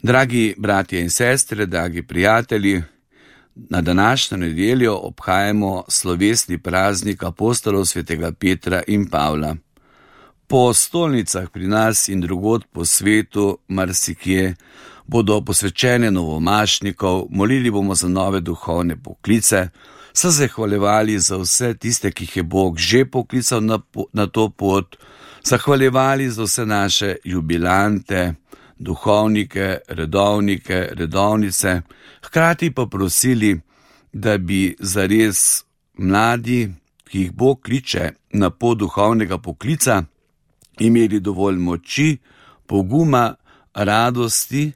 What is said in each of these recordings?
Dragi bratje in sestre, dragi prijatelji, na današnjo nedeljo obhajamo slovesni praznik apostolov svetega Petra in Pavla. Po stolnicah pri nas in drugod po svetu, marsikje, bodo posvečene novomašnikov, molili bomo za nove duhovne poklice, se zahvaljevali za vse tiste, ki jih je Bog že poklical na to pot, zahvaljevali za vse naše jubilante, duhovnike, redovnike, redovnice, hkrati pa prosili, da bi zares mladi, ki jih Bog kliče na pot duhovnega poklica, imeli dovolj moči, poguma, radosti,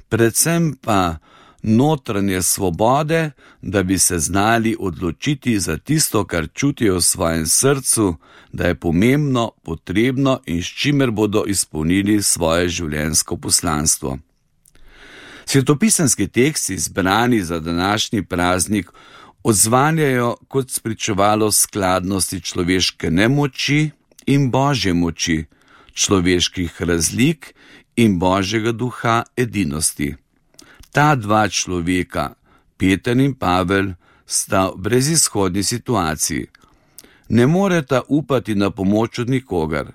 predvsem pa notranje svobode, da bi se znali odločiti za tisto, kar čutijo v svojem srcu, da je pomembno, potrebno in s čimer bodo izpolnili svoje življenjsko poslanstvo. Svetopisemski teksti, izbrani za današnji praznik, odzvanjajo kot spričevalo skladnosti človeške nemoči in Božje moči, človeških razlik in Božjega duha edinosti. Ta dva človeka, Peter in Pavel, sta v brezizhodni situaciji. Ne moreta upati na pomoč od nikogar.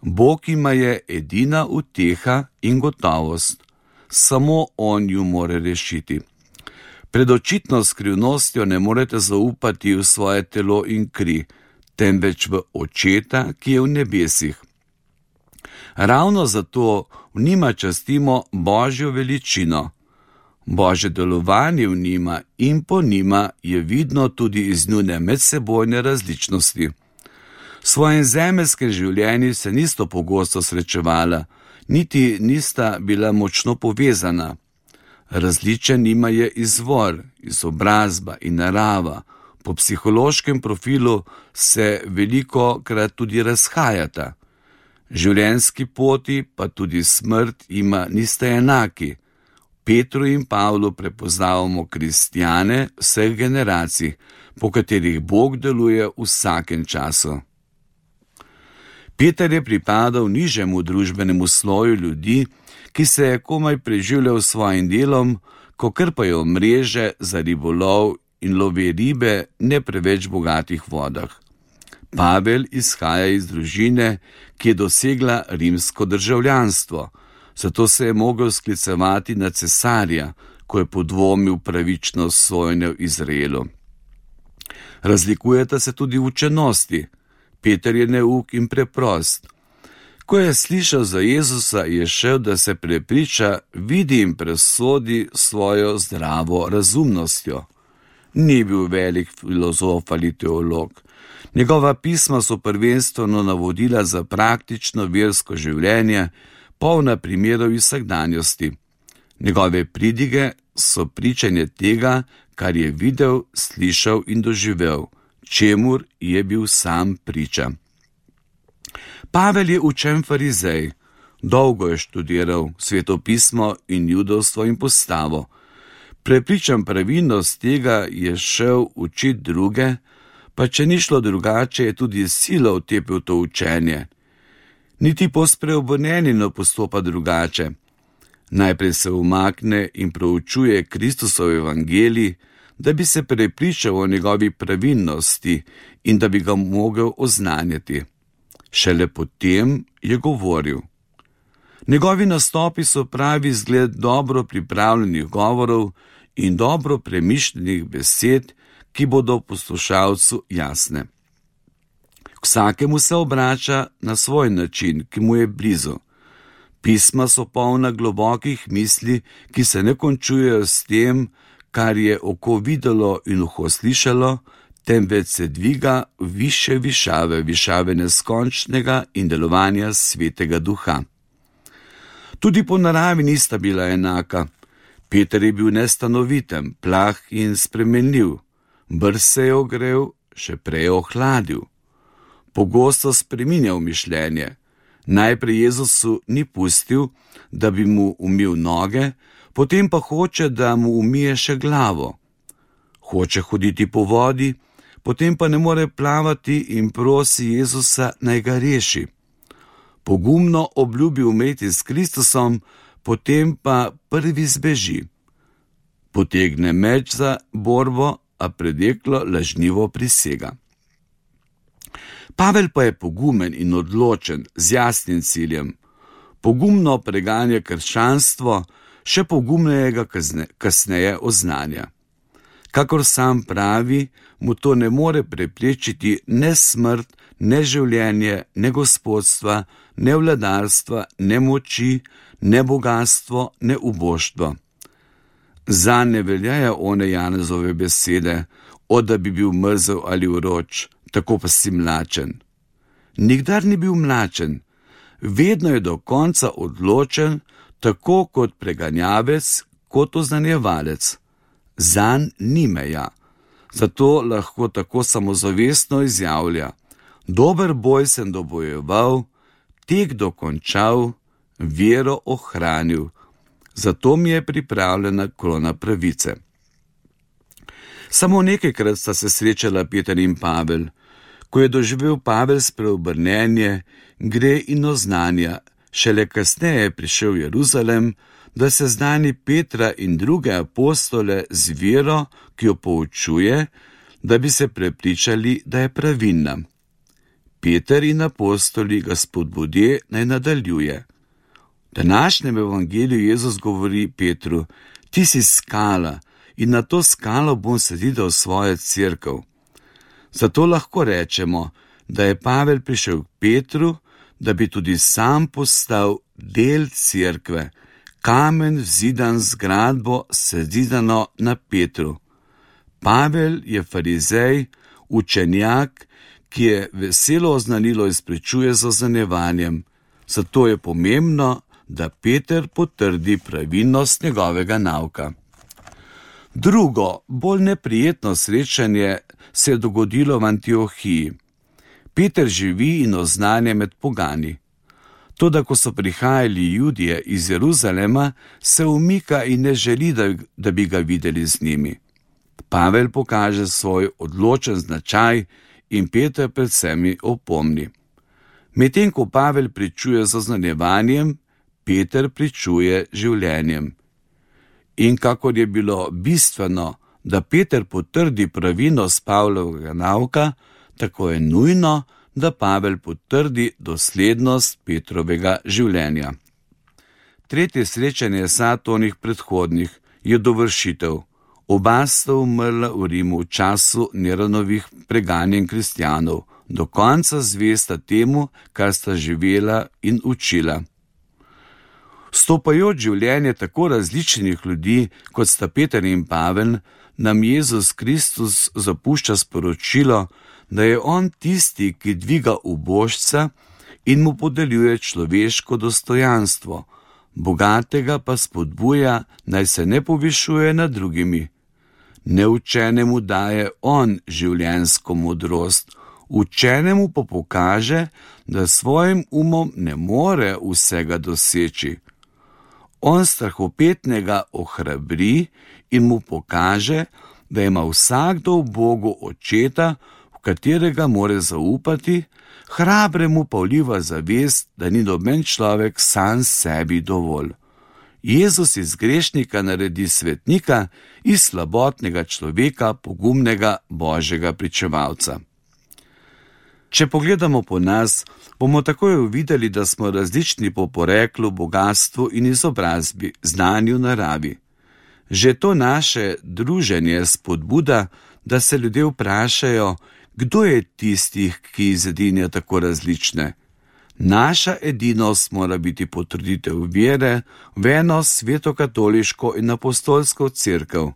Bog jima je edina uteha in gotovost. Samo On ju more rešiti. Pred očitno skrivnostjo ne morete zaupati v svoje telo in kri, temveč v Očeta, ki je v nebesih. Ravno zato v njima častimo Božjo veličino. Božje delovanje v njima in po njima je vidno tudi iz njune medsebojne različnosti. V svojem zemeljskem življenju se nista pogosto srečevala, niti nista bila močno povezana. Različen njima je izvor, izobrazba in narava. Po psihološkem profilu se velikokrat tudi razhajata. Življenjski poti pa tudi smrt jima nista enaki. Petru in Pavlu prepoznavamo kristjane vseh generacij, po katerih Bog deluje v vsakem času. Peter je pripadal nižjemu družbenemu sloju ljudi, ki se je komaj preživljal s svojim delom, ko krpajo mreže za ribolov in lovi ribe ne preveč bogatih vodah. Pavel izhaja iz družine, ki je dosegla rimsko državljanstvo, zato se je mogel sklicevati na cesarja, ko je podvomil pravičnost sojenja v Izraelu. Razlikujeta se tudi v učenosti. Peter je neuk in preprost. Ko je slišal za Jezusa, je šel, da se prepriča, vidi in presodi svojo zdravo razumnostjo. Ni bil velik filozof ali teolog. Njegova pisma so prvenstveno navodila za praktično versko življenje, polna primerov iz vsakdanjosti. Njegove pridige so pričanje tega, kar je videl, slišal in doživel, čemur je bil sam priča. Pavel je učen farizej, dolgo je študiral svetopismo in judovstvo in postavo. Prepričan pravilnost tega je šel učiti druge, pa če ni šlo drugače, je tudi silo vtepil to učenje. Niti pospreobrnjeni ne postopa drugače. Najprej se umakne in proučuje Kristusov evangelij, da bi se prepričal o njegovi pravilnosti in da bi ga mogel oznanjati. Šele potem je govoril. Njegovi nastopi so pravi zgled dobro pripravljenih govorov in dobro premišljenih besed, ki bodo poslušalcu jasne. K vsakemu se obrača na svoj način, ki mu je blizu. Pisma so polna globokih misli, ki se ne končujejo s tem, kar je oko videlo in uho slišalo, temveč se dviga više višave, višave neskončnega in delovanja Svetega Duha. Tudi po naravi nista bila enaka. Peter je bil nestanoviten, plah in spremenljiv. Brz se je ogrel, še prej ohladil. Pogosto spreminjal mišljenje. Najprej Jezusu ni pustil, da bi mu umil noge, potem pa hoče, da mu umije še glavo. Hoče hoditi po vodi, potem pa ne more plavati in prosi Jezusa, naj ga reši. Pogumno obljubi umreti s Kristusom, potem pa prvi zbeži. Potegne meč za borbo, a predeklo lažnivo prisega. Pavel pa je pogumen in odločen, z jasnim ciljem. Pogumno preganja krščanstvo, še pogumneje ga kasneje oznanja. Kakor sam pravi, mu to ne more preprečiti ne smrt, ne življenje, ne gospodstva, ne vladarstva, ne moči, ne bogatstvo, ne uboštvo. Zanj ne veljajo one Janezove besede, da bi bil mrzel ali vroč, tako pa si mlačen. Nikdar ni bil mlačen, vedno je do konca odločen, tako kot preganjavec, kot oznanjevalec. Zanj ni meja, zato lahko tako samozavestno izjavlja: dober boj sem dobojeval, tek dokončal, vero ohranil, zato mi je pripravljena krona pravice. Samo nekajkrat sta se srečala Peter in Pavel. Ko je doživel Pavel spreobrnenje, gre in oznanja, šele kasneje je prišel v Jeruzalem, da se znani Petra in druge apostole z vero, ki jo poučuje, da bi se prepričali, da je pravilna. Peter in apostoli ga spodbudi, naj nadaljuje. V današnjem evangeliju Jezus govori Petru: ti si skala in na to skalo bom zidal svojo cerkev. Zato lahko rečemo, da je Pavel prišel k Petru, da bi tudi sam postal del cerkve, kamen vzidan z zgradbo, sezidano na Petru. Pavel je farizej, učenjak, ki je veselo oznanilo izpričuje z oznanevanjem, zato je pomembno, da Peter potrdi pravilnost njegovega nauka. Drugo, bolj neprijetno srečanje se je dogodilo v Antiohiji. Peter živi in oznanja med pogani. Toda, ko so prihajali Judje iz Jeruzalema, se umika in ne želi, da bi ga videli z njimi. Pavel pokaže svoj odločen značaj in Peter pred vsemi opomni. Medtem ko Pavel pričuje z oznanjevanjem, Peter pričuje življenjem. In kakor je bilo bistveno, da Peter potrdi pravilnost Pavlovega nauka, tako je nujno, da Pavel potrdi doslednost Petrovega življenja. Tretje srečanje Satonih predhodnih je dovršitev. Oba sta umrla v Rimu v času Neronovih preganjen kristjanov, do konca zvesta temu, kar sta živela in učila. Stopajoč življenje tako različnih ljudi, kot sta Peter in Pavel, nam Jezus Kristus zapušča sporočilo, da je on tisti, ki dviga ubožca in mu podeljuje človeško dostojanstvo, bogatega pa spodbuja, naj se ne povišuje nad drugimi. Neučenemu daje on življenjsko modrost, učenemu pa pokaže, da svojim umom ne more vsega doseči. On strahopetnega ohrabri in mu pokaže, da ima vsakdo v Bogu očeta, v katerega more zaupati, hrabremu pa vliva zavest, da ni noben človek sam sebi dovolj. Jezus iz grešnika naredi svetnika, iz slabotnega človeka pogumnega Božjega pričevalca. Če pogledamo po nas, bomo takoj uvideli, da smo različni po poreklu, bogastvu in izobrazbi, znanju, naravi. Že to naše druženje spodbuda, da se ljudje vprašajo, kdo je tistih, ki izedinja tako različne. Naša edinost mora biti potrditev vere v eno svetokatoliško in apostolsko cerkev.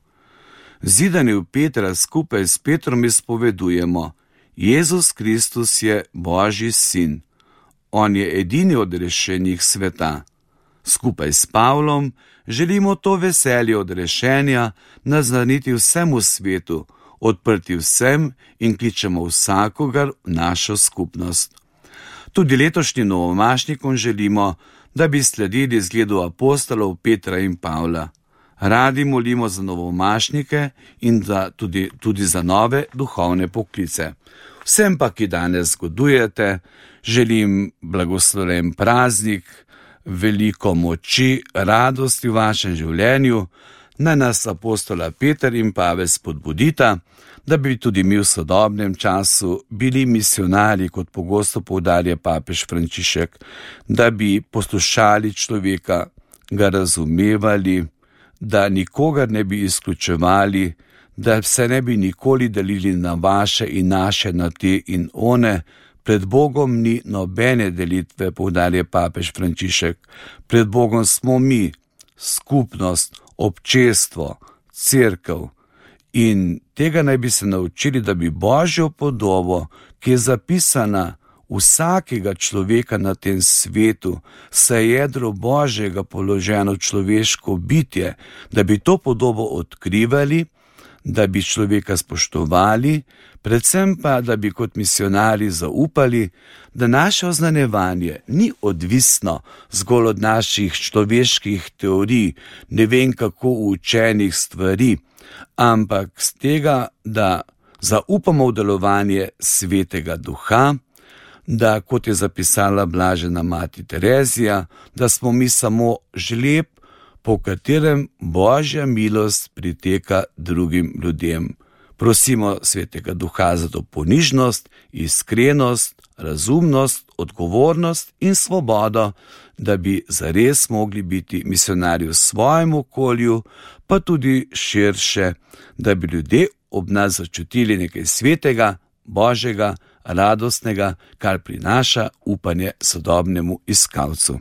Zidani v Petra skupaj s Petrom izpovedujemo: Jezus Kristus je Božji sin. On je edini odrešenih sveta. Skupaj s Pavlom želimo to veselje odrešenja naznaniti vsemu svetu, odprti vsem in kličemo vsakogar v našo skupnost. Tudi letošnjim novomašnikom želimo, da bi sledili zgledu apostolov Petra in Pavla. Radi molimo za novomašnike in tudi za nove duhovne poklice. Vsem pa, ki danes godujete, želim blagoslovljen praznik, veliko moči, radosti v vašem življenju. Naj nas apostola Peter in Pavel spodbudita, da bi tudi mi v sodobnem času bili misionarji, kot pogosto poudarja papež Frančišek, da bi poslušali človeka, ga razumevali, da nikogar ne bi izključevali, da se ne bi nikoli delili na vaše in naše, na te in one. Pred Bogom ni nobene delitve, poudarja papež Frančišek. Pred Bogom smo mi, skupnost, občestvo, cerkev. In tega naj bi se naučili, da bi Božjo podobo, ki je zapisana vsakega človeka na tem svetu, saj jedro Božjega položeno človeško bitje, da bi to podobo odkrivali, da bi človeka spoštovali, predvsem pa, da bi kot misionarji zaupali, da naše oznanjevanje ni odvisno zgolj od naših človeških teorij, ne vem kako učenih stvari, ampak z tega, da zaupamo v delovanje Svetega Duha, da, kot je zapisala blažena mati Terezija, da smo mi samo žleb, po katerem Božja milost priteka drugim ljudem. Prosimo Svetega Duha za to ponižnost, iskrenost, razumnost, odgovornost in svobodo, da bi zares mogli biti misionarji v svojem okolju, pa tudi širše, da bi ljudje ob nas začutili nekaj svetega, božjega, radostnega, kar prinaša upanje sodobnemu iskalcu.